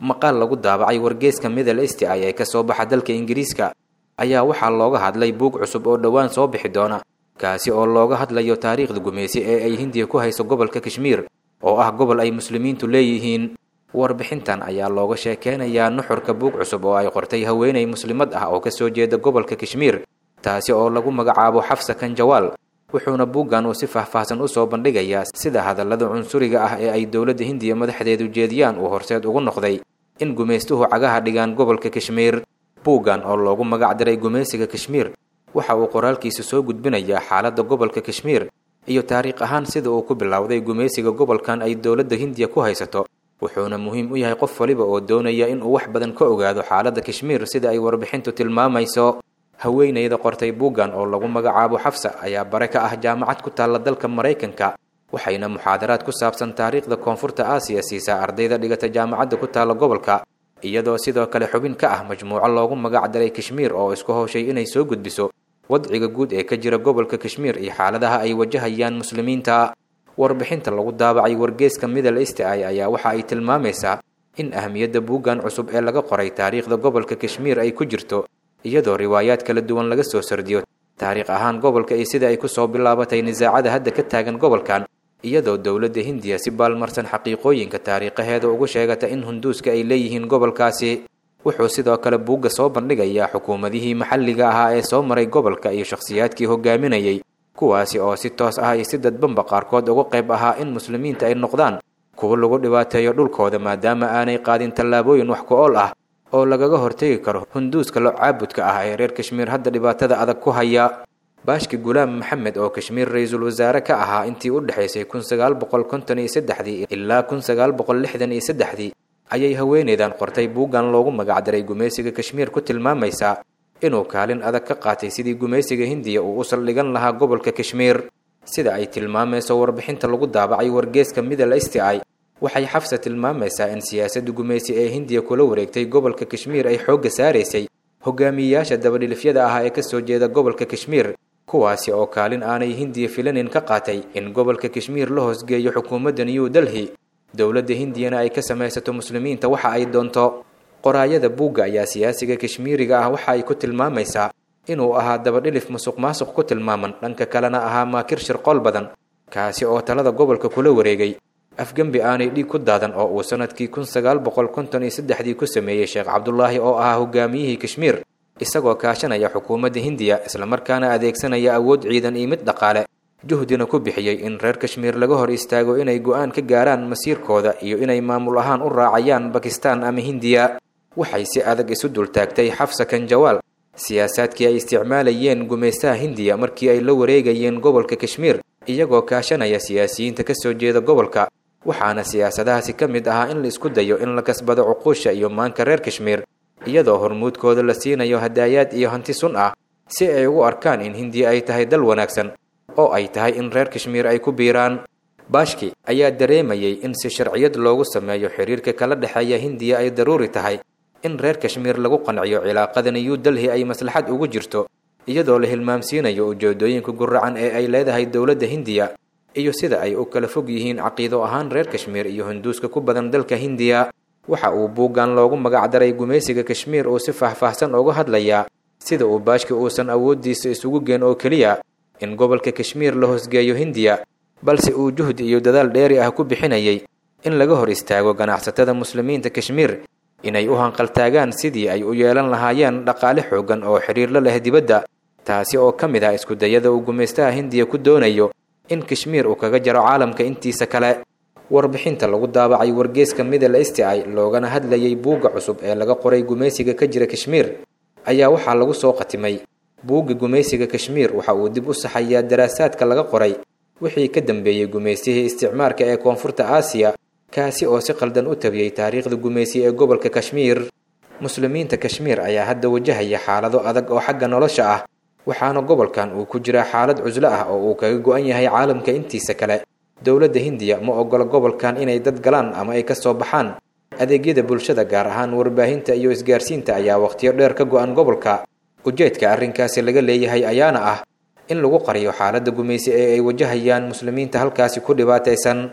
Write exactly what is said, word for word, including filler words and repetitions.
Maqaal lagu daabacay wargeyska Middle East Eye ee ka soo baxa dalka Ingiriiska ayaa waxaa looga hadlay buug cusub oo dhowaan soo bixi doona, kaasi oo looga hadlayo taariikhda gumeysi ee ay Hindiya ku hayso gobolka Kashmiir oo ah gobol ay muslimiintu leeyihiin. Warbixintan ayaa looga sheekeynayaa nuxurka buug cusub oo ay qortay haweeney muslimad ah oo ka soo jeeda gobolka Kashmiir, taasi oo lagu magacaabo Xafsa Kanjawaal. Wuxuuna buuggan uu si faahfaahsan u soo bandhigayaa sida hadallada cunsuriga ah ee ay dowladda Hindiya madaxdeedu jeediyaan uu horseed ugu noqday in gumeystuhu cagaha dhigaan gobolka Kashmiir. Buuggan oo loogu magac diray Gumeysiga Kashmiir waxa uu qoraalkiisa soo gudbinayaa xaaladda gobolka Kashmiir iyo taariikh ahaan sida uu ku bilowday gumeysiga gobolkan ay dowladda Hindiya ku haysato. Wuxuuna muhiim u yahay qof waliba oo doonaya in uu wax badan ka ogaado xaaladda Kashmiir sida ay warbixintu tilmaamayso. Haweeneyda qortay buuggan oo lagu magacaabo Xafsa ayaa bare ka ah jaamacad ku taalla dalka Maraykanka, waxayna muxaadaraad ku saabsan taariikhda Koonfurta Aasiya siisaa ardayda dhigata jaamacadda ku taalla gobolka, iyadoo sidoo kale xubin ka ah majmuuco loogu magac daray Kashmiir oo isku howshay inay soo gudbiso wadciga guud ee ka jira gobolka Kashmiir iyo xaaladaha ay wajahayaan muslimiinta. Warbixinta lagu daabacay wargeyska Middle East Eye ayaa waxa ay tilmaamaysaa in ahmiyadda buuggan cusub ee laga qoray taariikhda gobolka Kashmiir ay ku jirto, iyadoo riwaayaad kala duwan laga soo sardiyo taariikh ahaan gobolka iyo sida ay ku soo bilaabatay nisaacada hadda ka taagan gobolkan, iyadoo dowladda Hindiya si baalmarsan xaqiiqooyinka taariikhaheeda ugu sheegata in hunduuska ay leeyihiin gobolkaasi. Wuxuu sidoo kale buugga soo bandhigayaa xukuumadihii maxalliga ahaa ee soo maray gobolka iyo shakhsiyaadkii hogaaminayay, kuwaasi oo si toos ah iyo si dadbanba qaarkood uga qayb ahaa in muslimiinta ay noqdaan kuwo lagu dhibaateeyo dhulkooda, maadaama aanay qaadin tallaabooyin wax ku ool ah oo lagaga hortegi karo hunduuska lo caabudka ah ee reer Kashmiir hadda dhibaatada adag ku haya. Baashki Gulaam Maxamed oo Kashmiir ra'iisul wasaare ka ahaa intii u dhaxaysay kun sagaal boqol konton iyo saddexdii ilaa kun sagaal boqol lixdan iyo saddexdii ayay haweeneydan qortay buuggan loogu magac daray Gumeysiga Kashmiir ku tilmaamaysaa inuu kaalin adag ka qaatay sidii gumeysiga Hindiya uu u saldhigan lahaa gobolka Kashmiir. Sida ay tilmaamayso warbixinta lagu daabacay wargeyska Middle East Eye, waxay Xafsa tilmaamaysaa in siyaasadda gumeysi ee Hindiya kula wareegtay gobolka Kashmiir ay xoogga saaraysay hogaamiyeyaasha dabadhilifyada ah ee ka soo jeeda gobolka Kashmiir, kuwaasi oo kaalin aanay Hindiya filanin ka qaatay in gobolka Kashmiir la hoosgeeyo xukuumadda New Delhi, dowladda Hindiyana ay ka samaysato muslimiinta waxa ay doonto. Qoraayada buugga ayaa siyaasiga Kashmiiriga ah waxa ay ku tilmaamaysaa inuu ahaa dabadhilif musuqmaasuq ku tilmaaman, dhanka kalena ahaa maakir shirqool badan, kaasi oo talada gobolka kula wareegay afgembi aanay dhiig ku daadan oo uu sanadkii kun sagaal boqol konton iyo saddexdii ku sameeyey Sheekh Cabdulaahi oo ahaa hogaamiyihii Kashmiir, isagoo kaashanaya xukuumadda Hindiya islamarkaana adeegsanaya awood ciidan iyo mid dhaqaale, juhdina ku bixiyey in reer Kashmiir laga hor istaago inay go'aan ka gaaraan masiirkooda iyo inay maamul ahaan u raacayaan Bakistaan ama Hindiya. Waxay si adag isu dultaagtay Xafsa Kanjawaal siyaasaadkii ay isticmaalayeen gumeystaha Hindiya markii ay la wareegayeen gobolka Kashmiir, iyagoo kaashanaya siyaasiyiinta ka soo jeeda gobolka, waxaana siyaasadahaasi ka mid ahaa in la isku dayo in la kasbado cuquusha iyo maanka reer Kashmiir, iyadoo hormuudkooda la siinayo hadaayaad iyo hanti sun ah si ay ugu arkaan in Hindiya ay tahay dal wanaagsan oo ay tahay in reer Kashmiir ay ku biiraan. Baashki ayaa dareemayay in si sharciyad loogu sameeyo xiriirka kala dhexeeya Hindiya ay daruuri tahay in reer Kashmiir lagu qanciyo cilaaqada New Delhi ay maslaxad ugu jirto, iyadoo la hilmaamsiinayo ujeedooyinka guracan ee ay leedahay dowladda Hindiya iyo sida ay u kala fog yihiin caqiido ahaan reer Kashmiir iyo hunduuska ku badan dalka Hindiya. Waxa uu buuggan loogu magac daray Gumeysiga Kashmiir uu si faahfaahsan uga hadlayaa sida uu Baashki uusan awooddiisa isugu geen oo keliya in gobolka Kashmiir la hoosgeeyo Hindiya, balse uu juhdi iyo dadaal dheeri ah ku bixinayay in laga hor istaago ganacsatada muslimiinta Kashmiir inay u hanqaltaagaan sidii ay u yeelan lahaayeen dhaqaale xooggan oo xiriir la leh dibadda, taasi oo ka mid ah isku dayada uu gumeystaha Hindiya ku doonayo in Kashmiir uu kaga jaro caalamka intiisa kale. Warbixinta lagu daabacay wargeyska Middle East Eye loogana hadlayay buugga cusub ee laga qoray gumeysiga ka jira Kashmiir ayaa waxaa lagu soo qatimay buugga Gumeysiga Kashmiir waxa uu dib u saxayaa daraasaadka laga qoray wixii ka dambeeyey gumeystihii isticmaarka ee Koonfurta Aasiya, kaasi oo si qaldan u tabiyey taariikhda gumeysi ee gobolka Kashmiir. Muslimiinta Kashmiir ayaa hadda wajahaya xaalado adag oo xagga nolosha ah, waxaana gobolkan uu ku jiraa xaalad cuslo ah oo uu kaga go'an yahay caalamka intiisa kale. Dowladda Hindiya ma ogola gobolkan inay dad galaan ama ay ka soo baxaan. Adeegyada bulshada gaar ahaan warbaahinta iyo isgaarsiinta ayaa waqtiyo dheer ka go'an gobolka. Ujeedka arrinkaasi laga leeyahay ayaana ah in lagu qariyo xaaladda gumeysi ee ay wajahayaan muslimiinta halkaasi ku dhibaataysan.